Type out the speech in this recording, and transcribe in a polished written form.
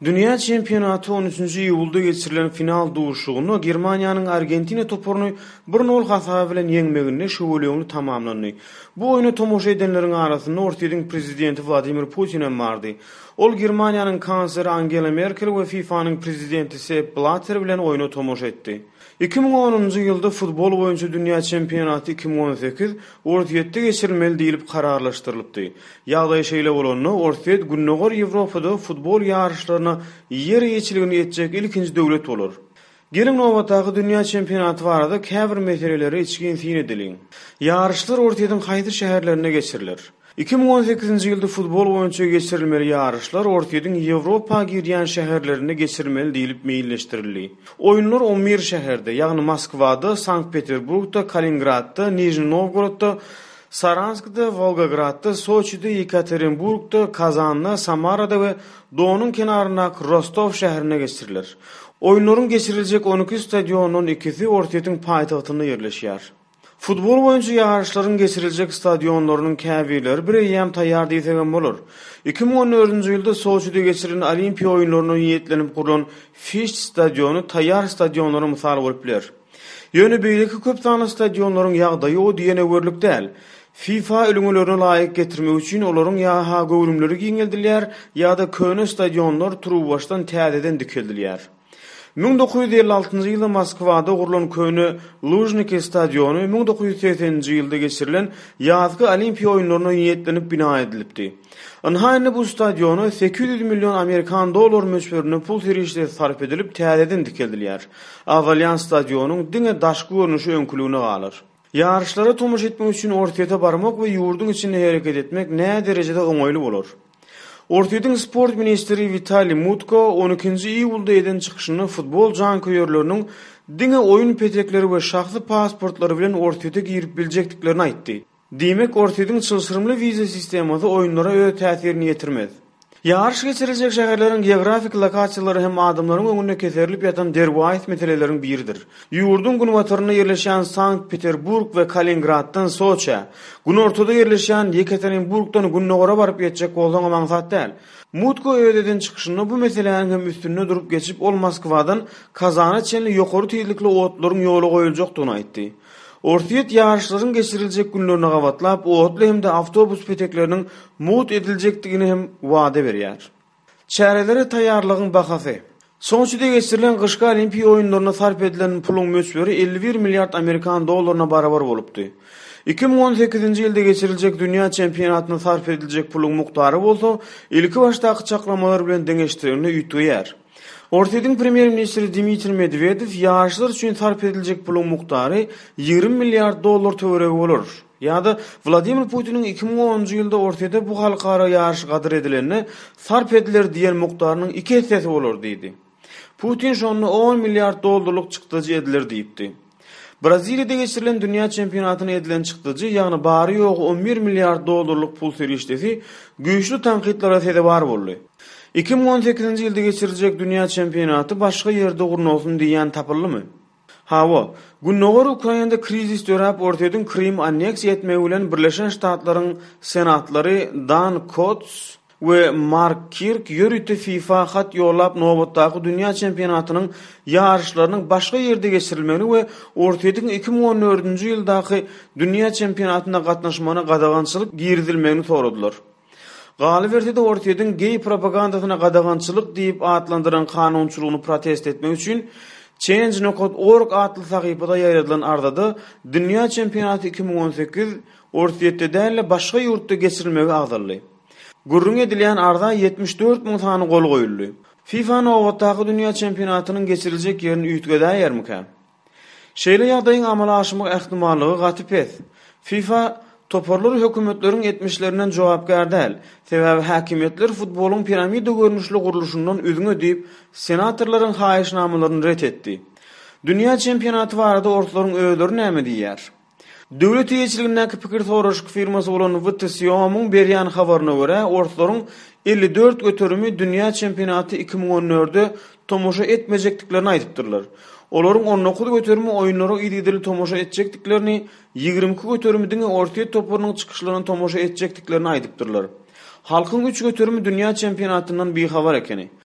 Dünýä çempionaty on üçünji iýulda geçirilen final duşuşygynda Germaniýanyň Argentina toparyny bir nol hasaby bilen ýeňmeginde şüweleňli tamamlandy. Bu oýna tomaşa edenleriň arasynda Orsýetiň prezidenti Wladimir Putin hem bardy. Ol Germaniýanyň kansleri Angela Merkel we FIFA-nyň prezidenti Sepp Blatter bilen oýna tomaşa etdi. 2010-njy ýylda futbol boýunça dünýä çempionaty 2018 Orsýetde geçirilmeli diýlip kararlaşdyrylypdy. Ýagdaý şeýle bolanda, Orsýet Gündogar Ýewropada futbol ýaryşlaryna ýer eýeçiligini etjek ilkinji döwlet bolar. Geliň nobatdaky dünýä çempionaty barada käbir meselelere içgin syn edeliň. Ýaryşlar Orsýetiň haýsy şäherlerinde geçiriler? 2018-nji ýylda futbol boýunça geçirilmeli ýaryşlar Orsýetiň Ýewropa girýän şäherlerinde geçirilmeli diýlip meýilleşdirildi. Oýunlar on bir şäherde, ýagny Moskwada, Sankt-Peterburgda, Kaliningradda, Nižniý Nowgorodda, Saranskda, Wolgogradda, Soçide, Ýekaterinburgda, Kazanda, Samarada we Donuň kenaryndaky Rostow şäherinde geçiriler. Oýunlaryň geçiriljek on iki stadionyndan ikisi Orsýetiň paýtagtynda ýerleşýär. Futbol boýunça ýaryşlaryň geçiriljek stadionlarynyň käbirleri bireýýäm taýýar diýsegem bolar. 2014-nji ýylda Soçide geçirilen Olimpiýa oýunlaryna niýetlenip gurlan Fişt stadiony taýýar stadionlara mysal bolup biler. Ýöne beýleki köp sanly stadionlaryň ýagdaýy o diýen öwerlik däl. FIFA ülňülerine laýyk getirmek üçin olaryň ýa-ha göwrümleri giňeldilýär, ýa-da köne stadionlar turuwbaşdan täzeden dikeldilýär. 1956-njy ýylda Moskwada gurlan köne Lužniki stadiony 1980-nji ýylda geçirilen ýazky Olimpiýa oýunlaryna niýetlenip bina edilipdi. Ynha indi bu stadiona 800 million amerikan dollary möçberinde pul serişdesi sarp edilip täzeden dikeldilýär. Agzalýan stadionyň diňe daşky görnüşi öňküligine galar. Ýaryşlara tomaşa etmek üçin Orsýete barmak we ýurduň içinde hereket etmek näderejede oňaýly bolar? Orsýetiň sport ministri Witaliý Mutko on ikinji iýulda eden çykyşynda futbol janköýerleriniň diňe oýun petekleri we şahsy pasportlary bilen Orsýete girip biljekdiklerini aýtdy. Diýmek, Orsýetiň çylşyrymly wiza sistemasy oýunlara öz täsirini ýetirmez. Ýaryş geçiriljek şäherleriň geografik lokasiýalary hem adamlaryň öňünde keserilip ýatan derwaýys meseleleriň biridir. Ýurduň günbatarynda ýerleşýän Sankt-Peterburg we Kaliningraddan Soçä, günortada ýerleşýän Ýekaterinburgdan gündogara baryp ýetjek bolsaňam aňsat däl. Mutko öz eden çykyşynda bu meseläniň hem üstünde durup geçip, ol Moskwadan Kazana çenli ýokary tizlikli otlaryň ýola goýuljakdygyny aýtdy. Orsýet ýaryşlaryň geçiriljek günlerine gabatlap, otly hem-de awtobus petekleriniň mugt ediljekdigini hem wada berýär. Çärelere taýýarlygyň bahasy. Soçide geçirilen gyşky Olimpiýa oýunlarynda sarp edilen puluň möçberi 51 milliard amerikan dollaryna barabar bolupdy. 2018-nji ýylda geçiriljek dünýä çempionatynda sarp ediljek puluň mukdary bolsa, ilkibaşdaky çaklamalar bilen deňeşdirilende üýtgeýär. Orsýetiň premýer-ministri Dmitriý Medwedew ýaşlar üçin sarp ediljek puluň mukdary 20 milliard dollar töweregi bolar ýa-da Wladimir Putiniň 2010-njy ýylda Orsýete bu halkara ýaryş gadyr edilende sarp ediler diýen mukdarynyň iki essesi bolar diýdi. Putin şonda on milliard dollarlyk çykdajy ediler diýipdi. Braziliýada geçirilen dünýä çempionatyna edilen çykdajy, ýagny bary-ýogy on bir milliard dollarlyk pul serişdesi güýçli tankytlara sezewar boldy. 2018-nji ýylda geçiriljek dünýä çempionaty başga ýerde gurnalsyn diýýän tapyldymy? Hawa, Gündogar Ukrainada krizis döräp Orsýetiň Krymy anneksiýa etmegi bilen Birleşen Ştatlaryň senatlary Dan Kots we Mark Kirk ýörite FIFA hat ýollap nobatdaky dünýä çempionatynyň ýaryşlarynyň başga ýerde geçirilmegini we Orsýetiň 2014-nji ýyldaky dünýä çempionatyna gatnaşmagyna gadagançylyk girizilmegini soradylar. Galyberse-de Orsýetiň geý propagandasyna gadagançylyk diýip atlandyran kanunçylygyny protest etmek üçin Change nokat org atly sahypada ýaýradylan arzada dünýä çempionaty 2018 Orsýetde däl-de başga ýurtda geçirilmegi agzaldy. Gürrüňi edilýän arza 74 müň sany gol goýuldy. FIFA nobatdaky dünýä çempionatynyň geçiriljek ýerini üýtgedäýermikä? Şeýle ýagdaýyň amala aşmak ähtimallygy gaty pes. FIFA toparlary hökümetleriň etmişlerinden jogapkär däl, sebäbi häkimiýetler futbolyň piramida görnüşli gurluşyndan üzňe diýip, senatorlaryň haýyşnamalaryny ret etdi. Dünýä çempionaty barada orslaryň özleri näme diýýär? Döwlet eýeçiligindäki pikir soraşyk firmasy bolan WTSIOM-yň berýän habaryna görä, orslaryň 54 göterimi dünýä çempionaty 2014-de tomaşa etmejekdiklerini aýdypdyrlar. Olaryň 19 göterimi oýunlara yzygiderli tomaşa etjekdiklerini, 22 göterimi diňe Orsýet toparynyň çykyşlaryna tomaşa etjekdiklerini aýdypdyrlar. Halkyň üç göterimi dünýä çempionatyndan bihabar ekeni.